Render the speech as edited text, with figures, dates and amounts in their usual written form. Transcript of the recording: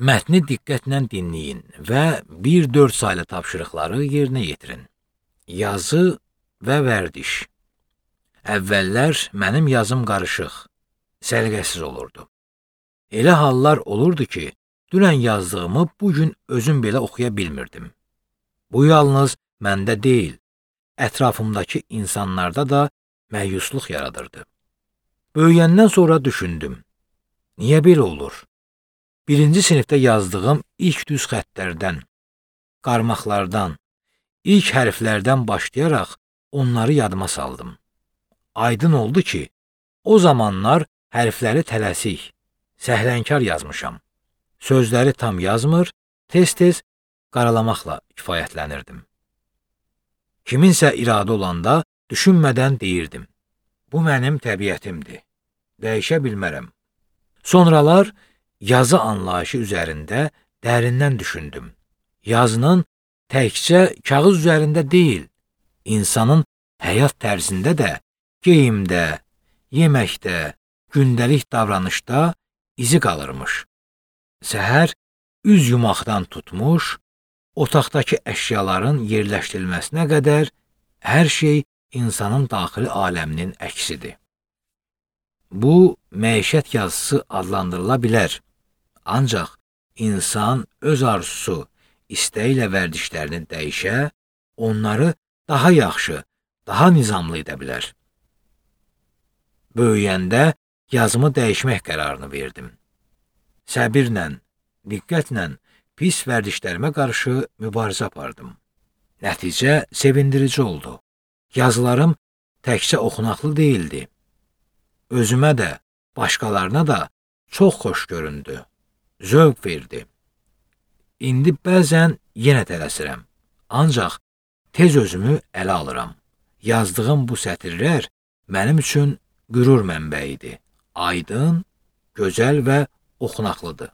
Mətni diqqətlə dinləyin və 1-4 saylı tapşırıqları yerinə yetirin. Yazı və vərdiş. Əvvəllər mənim yazım qarışıq, səliqəsiz olurdu. Elə hallar olurdu ki, dünən yazdığımı bugün özüm belə oxuya bilmirdim. Bu yalnız məndə deyil, ətrafımdakı insanlarda da məyusluq yaradırdı. Böyüyəndən sonra düşündüm. Niyə belə olur? 1-ci sinifdə yazdığım ilk düz xəttlərdən, qarmaqlardan, ilk hərflərdən başlayaraq onları yadıma saldım. Aydın oldu ki, o zamanlar hərfləri tələsik, səhlənkar yazmışam. Sözləri tam yazmır, tez-tez qaralamaqla kifayətlənirdim. Kiminsə iradə olanda düşünmədən deyirdim. Bu mənim təbiətimdir, dəyişə bilmərəm. Sonralar yazı anlayışı üzərində dərindən düşündüm. Yazının təkcə kağız üzərində deyil, insanın həyat tərzində də, geyimdə, yeməkdə, gündəlik davranışda izi qalırmış. Səhər üz yumaqdan tutmuş, otaqdakı əşyaların yerləşdirilməsinə qədər hər şey insanın daxili aləminin əksidir. Bu, məişət yazısı adlandırıla bilər. Ancaq insan öz arzusu, istəyi ilə vərdişlərini dəyişə, onları daha yaxşı, daha nizamlı edə bilər. Böyüyəndə yazımı dəyişmək qərarını verdim. Səbirlə, diqqətlə pis vərdişlərimə qarşı mübarizə apardım. Nəticə sevindirici oldu. Yazılarım təkcə oxunaqlı deyildi. Özümə də, başqalarına da çox xoş göründü. Zövq verdi. İndi bəzən yenə tələsirəm. Ancaq tez özümü ələ alıram. Yazdığım bu sətirlər mənim üçün qürur mənbəyidir. Aydın, gözəl və oxunaqlıdır.